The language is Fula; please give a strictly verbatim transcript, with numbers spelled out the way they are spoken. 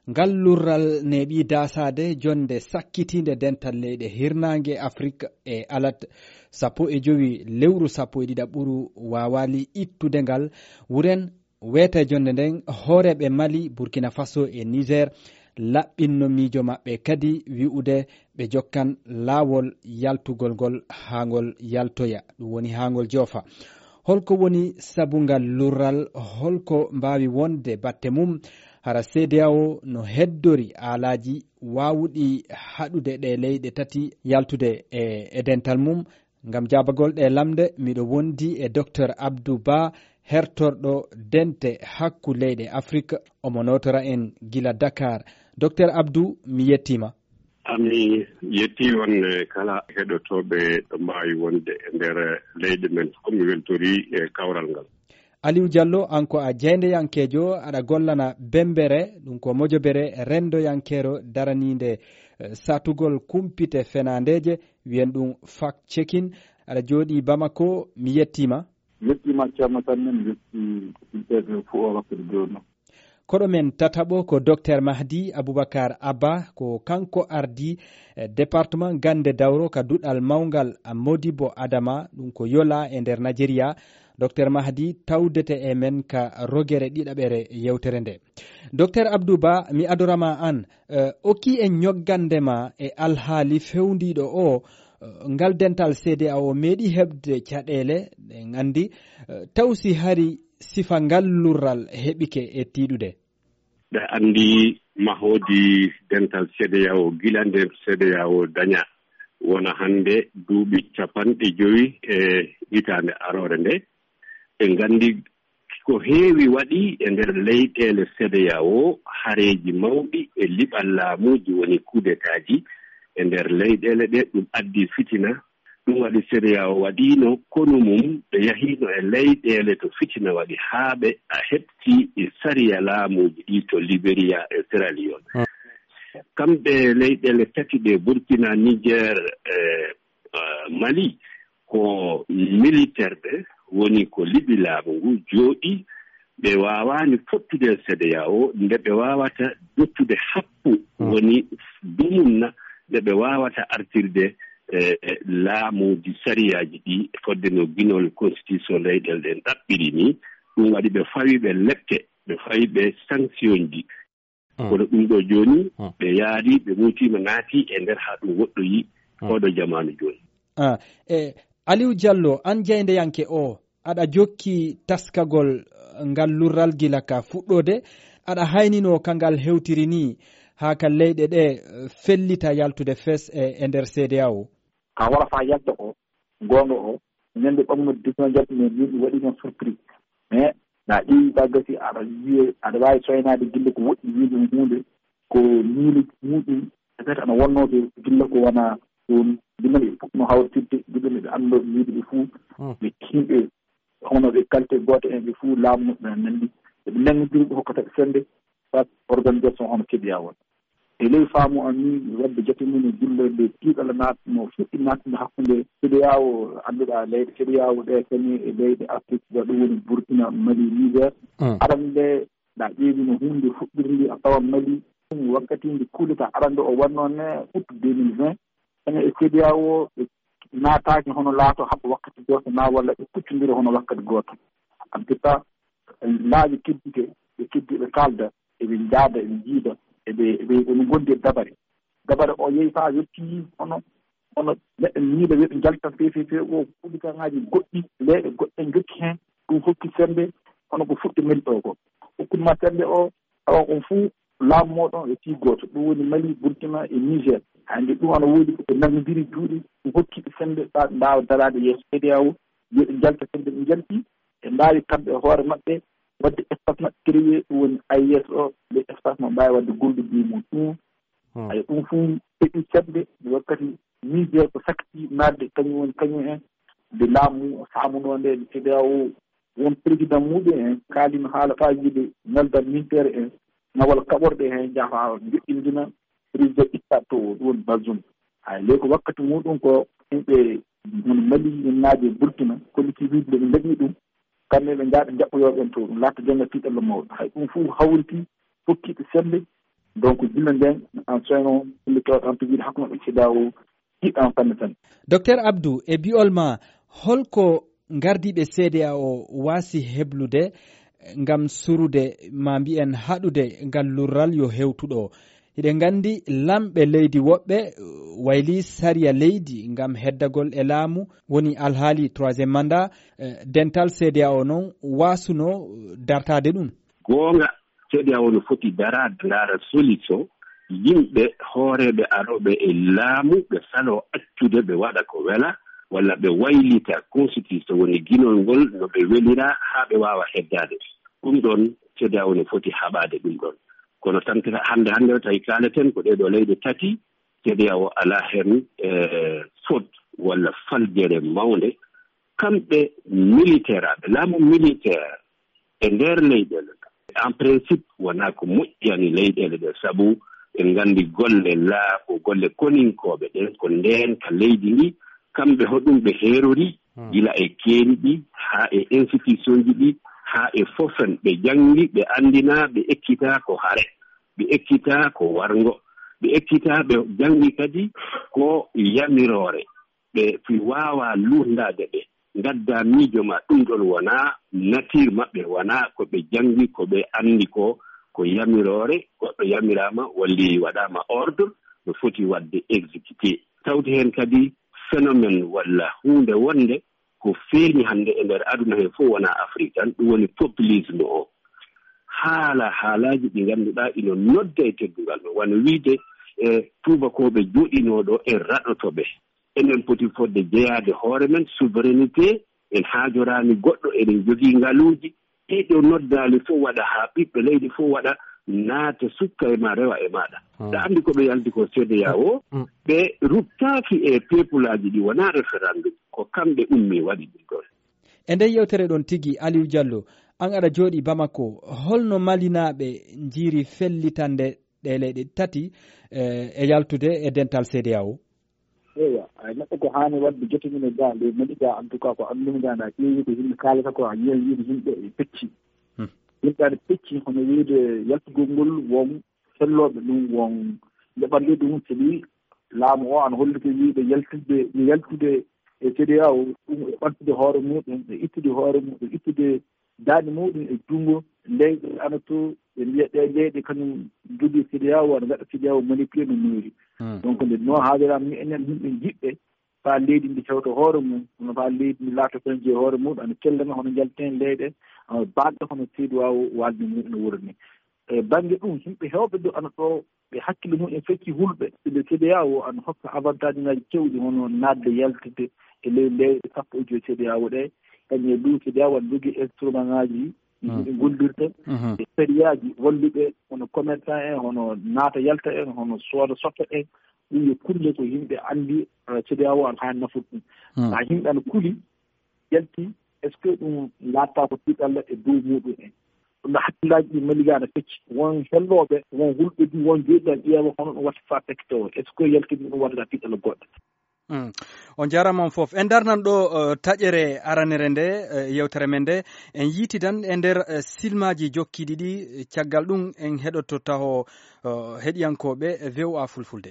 Ngal lurral neeɓi daasaade jonnde sakkitiinde dental leyɗe hirnaange Afrik e alat sappo e jowi lewru sappo e ɗiɗaɓuru waawaali ittude ngal. Wuren weeta e jonnde nden, hooreeɓe Mali, Burkina Faso e Niger laɓɓinno miijo maɓɓe kadi wi'ude ɓe jokkan laawol yaltugol ngol haa ngol yaltoya, ɗum woni haa ngol joofa. Holko woni sabu ngal lurral? Holko mbaawi wonde batte mum? Hara C D A O no heddori aalaaji waawuɗi haɗude ɗe leyɗe tati yaltude e, e dental mum? Ngam jaabagol ɗe lamnde, miɗo wondi e Docteur Abdou Ba, hertorɗo dente hakku leyɗe Afrik. Omo nootora en gila Dakar. Docteur Abdou, mi yettiima. Ami yetti on, eh, kala heɗotooɓe ɗo mbaawi wonde e nder, eh, leyɗe men fof. Mi weltori, eh, kawral ngal. Aliou Diallo, an ko a jaayndeyankeejo, aɗa gollana Bembere, ɗum ko mojobere renndoyankeero daraniinde, eh, satugol kumpite fenaandeeje, wiyen ɗum fact checking. Aɗa jooɗii Bamako, mi yettiima. Yettiima Ceerno Sammel, yetti ɓiɓɓe fof o wakkati jooni. Koɗo men tataɓo ko Docteur Mahdi Aboubacar Abba, ko kanko ardii, eh, département gannde dawro ka duɗal mawngal Modibo Adama, ɗum ko Yola e nder Najeriya. Docteur Mahdi tawdete e men ka rogere ɗiɗaɓere yewtere nde. Docteur Abdou Ba, mi adorama an, eh, okki en ñoggande ma e alhaali fewndiiɗo o, eh, ngal dental C D A O meeɗi heɓde caɗeele, en anndi, eh, taw si hari sifa ngal lurral heɓike e tiiɗude? Ɓe anndi mahoodi dental C D A O, gila nde C D A O daña, wona hannde duuɓi capanɗe jowi e hitaande aroore nde. Ɓe nganndi ko heewi waɗi e nder leyɗeele C D A O, hareeji mawɗi e liɓal laamuuji, woni kudetaaji e nder leyɗeele ɗe, ɗum addi fitina. Ɗum waɗi C D A O waɗiino konu mum, ɓe yahiino e leyɗeele to fitina waɗi, haa ɓe a heɓti e sariya laamuuji ɗi to Liberia e Sierra Leone. Hmm. Kamɓe leyɗeele tati ɗe, Burkina, Niger, e, e, Mali, ko militaire ɓe, woni ko liɓi laamu ngu jooɗi, ɓe waawaani fottude e C D A O, nde ɓe waawata dottude happu, hmm, woni dumunna, nde ɓe waawata artirde, e, e, laamuuji, sariyaaji ɗi, fodde no ginol constitution leyɗeele ɗen ɗaɓɓiri ni. Ɗum waɗi ɓe fawi ɓe lepte, ɓe fawi ɓe sanction ji. Mm. Kono ɗum ɗo jooni, mm, ɓe yaari, ɓe muuti, ɓe naati e nder haa ɗum woɗɗoyi, mm, oɗo jamaanu jooni. Ah, e Aliou Diallo, an jaayndeyanke o, aɗa jokki taskagol, eh, ngal lurral gila ka fuɗɗoode, aɗa hayninoo ka ngal hewtiri ni, haa ka leyɗe ɗe, eh, fellita yaltude fes e, e nder C D A O? Ka wara faa yalta o, goonga o, ñande ɓamno dix-neuf janvier, yimɓe waɗi noon surprise. Mais na ƴeewi ka gasi, aɗa wiya, aɗa waawi soynaade gilla ko woɗɗi wiide ɗum huunde, ko miilude muɗum, peut-être ana wonnoo to gilla ko wona ɗum, gilla no ɓe puɗɗunoo hawritirde, gilla no ɓe annduno ɓe wiide ɓe fuu, hmm, ɓe yimɓe hono ɓe qualité gooto en, ɓe fuu laamu maɓɓe no nanndi. Eɓe nanngondiri ɓe hokkata ɓe sennde, soit organisation hono keɓiya won. E ley faamu am min, wadde jate mum e gilla nde tiiɗalla naatno, fuɗɗi naatno hakkunde C D A O, annduɗaa leyɗe C D A O ɗe kañum e leyɗe Afrik, ɗum woni Burkina, Mali, Niger. Mm. Arannde, ɗa ƴeewi no huunde fuɗɗirndi, a tawan Mali, ɗum wakkati nde coup d'État arannde o wannoo ne, août deux mille vingt, ene e C D A O, ɓe naataaki hono laato haɓa wakkati gooto, naa walla ɓe kuccondira hono wakkati gooto. En tout cas, laabi keddiiɗi, ɓe keddii ɓe kaalda, eɓe njaada, eɓe njiida, eɓe, eɓe, eɓe ngondi e dabare. Dabare o yehi faa yettii hono, hono neɗɗo miila wiya ɓe njalta fefe fe o, kuɗikaaŋaaji goɗɗi, leyɗe goɗɗe njokki heen, ɗum hokki semmbe, hono ko fuɗɗi Mali ɗo ko. Hokkuma semmbe o, tawa on fuu laamu mooɗon e fii gooto, ɗum woni Mali, Burkina e Niger. Hannde ɗum ana woodi ko ɓe nanngondiri juuɗe, ɗum hokki ɓe semmbe faa ɓe mbaawa daraade yeeso C D A O, yo ɓe njalta semmbe ɓe njalti, ɓe mbaawi kamɓe e hoore maɓɓe waɗde espace maɓɓe créé, ɗum woni A E S o, le espace mo mbaawi waɗde gollude e mum ɗum. Hmm. Ayo, ɗum fuu heɓi semmbe, wakkati Niger ko sakki naatde, kañum woni kañum en, nde laamu faamunoo nde, nde C D A O won président muɗum en kaalino haala faa wiide nelda militaire en, nawal kaɓorɗe heen, njaha joɗɗindina président dictateur o, ɗum woni Bazoum. Hay ley ko wakkati muɗum ko yimɓe mon Mali, yimnaaɓe Burkina, kolliti wiide nde ɓe mbaɗi ɗum, kamɓe ɓe njaha ɓe njaɓɓoyoo ɓen to, ɗum laata jonnga tiiɗalla mawɗo. Hay ɗum fof hawriti, hokki ɓe semmbe, Donc, jillo nden, en soyno, ɓilli tawat en pijiri hakkunde C D A O, jiɗɗo en fanne tan. Docteur Abdou, e bi'ol ma, holko gardiiɓe C D A O waasi heblude ngam surude, ma mbi'en haɗude ngal lurral yo hewtuɗo? Hiɗen nganndi lamɓe leydi woɓɓe, wayli sariya leydi ngam heddagol e laamu, woni alhaali troisième mandat, eh, dental C D A O noon waasuno dartaade ɗum. Goonga, C D A O no foti daraade, ndaara solution, yimɓe hooreeɓe arooɓe e laamu, ɓe saloo accude, ɓe waɗa ko wela, walla ɓe waylita constitution, woni ginol ngol no ɓe welira, haa ɓe waawa heddaade. Ɗum ɗon, C D A O no foti haɓaade ɗum ɗon. Kono tan, hannde, hannde o tawi kaaleten ko ɗee ɗoo leyɗe tati, C D A O alaa heen, eh, faute walla faljere mawnde. Kamɓe militaire aɓe, laamu militaire e nder leyɗeele ɗe, en principe, wonaa ko moƴƴani leyɗeele ɗe, sabu en nganndi golle laamu, golle koninkooɓe ɗen, ko ndeen ka leydi ndi, kamɓe hoɗum ɓe heerori, Hmm. gila e keeri ɗi, haa e institutionji ɗi, haa e fof en, ɓe janngi, ɓe anndina, ɓe ekkitaa ko hare, ɓe ekkitaa ko warngo, ɓe ekkitaa, ɓe janngi kadi ko yamiroore. Ɓe fi waawa luurndaade ɓe, ngadda miijo ma, ɗum ɗon wonaa nature maɓɓe, wonaa ko ɓe janngi, ko ɓe anndi ko, ko yamiroore, goɗɗo yamiraama, walli waɗaama ordre, no foti waɗde exécuté. Tawti heen kadi phénomène walla huunde wonde ko feeñi hannde e nder aduna he fof, wonaa Afrique tan, ɗum woni populisme o. Haala, haalaaji ɗi ngannduɗaa ina nodda e teddungal, no wano wiide, e tuubakooɓe jooɗinoo ɗo e raɗoto ɓe. Enen poti fodde jeyaade hoore men, souveraineté, en haajoraani goɗɗo, eɗen jogii ngaluuji. Ɗiɗo noddaali fof waɗa, haa ɓiɓɓe leydi fof waɗa, naata sukka e ma, rewa e maaɗa. Hmm. Ɗa anndi ko ɓe yalti ko C D A O, Hmm. ɓe ruttaaki e pepulaaji ɗi wonaa référendum, ko kamɓe ummi waɗi ɗum ɗon. E nder yewtere ɗon tigi, Aliou Diallo, an aɗa jooɗi Bamako, holno Malinaaɓe njiiri fellitande ɗee leyɗe tati, eh, e yaltude e dental C D A O? Eewa, ay, neɗɗo ko haani waɗde joto mum e ga, nde mbaɗi ga, en tout cas, ko anndumi ga, na ƴeewi ko yimɓe kaalata ko, a yiyan wiide yimɓe e pecci. Hmm. Yimɓe aɗa pecci, hono wiide yaltugol ngol, won fellooɓe ɗum, won ndeɓanɗe ɗum, sabi laamu o ana holliti wiide yaltude, yaltude e C D A O, ɗum e ɓamtude hoore muɗum, e ittude hoore muɗum, e ittude daaɗe muɗum e junngo leyɗe ana to, ɓe mbiya ɗe leyɗe kañum jogii C D A O, ana ngaɗa C D A O manipulé no moƴƴi. Hmm. Donc, nde no haaliraama ni, enen yimɓe jiɗɓe faa leydi ndi hewta hoore mum, kono faa leydi ndi laata tan je hoore mum, ana kellana hono njalten leyɗe, ana baɗɗo hono C D A O waɗde mum no wuro ni. E bannge ɗum, yimɓe heewɓe ɗo ana ɗo, ɓe hakkille mum en fecci hulɓe, ɓe C D A O ana hokka avantage ŋaaji keewɗi, hono naatde yaltude e ley leyɗe sappo e joy C D A O ɗe, kañum e ɗum C D A O ana jogii instrument ŋaaji ɗi Hmm. yimɓe gollirta, Mhm. e sariyaaji holluɓe, hono commerçant en, hono naata yalta en, hono sooda sotta en, ɗum yo kulle ko yimɓe anndi, eh, C D A O ana haa nafude ɗum. Hmm. Haa yimɓe ana kuli, yalti, est-ce que ɗum laattaako tiiɗalla e dow muɗum en? Ɗum ɗo hakkillaaji ɗi maliga ana pecci. Won hellooɓe, won hulɓe du, won jooɗiiɓe ana ƴeewa hono ɗum watta faa pecce tawo. Est-ce que yalti ɗum waɗata tiiɗalla goɗɗo? Mm. On jaaraama on fof. En darnan ɗo, eh, taƴere aranere nde, eh, yewtere men nde. En yiitidan e nder, eh, silmaaji jokkiiɗi ɗi, eh, caggal ɗum en heɗoto taho, eh, heɗiyankooɓe V O A Fulfulde.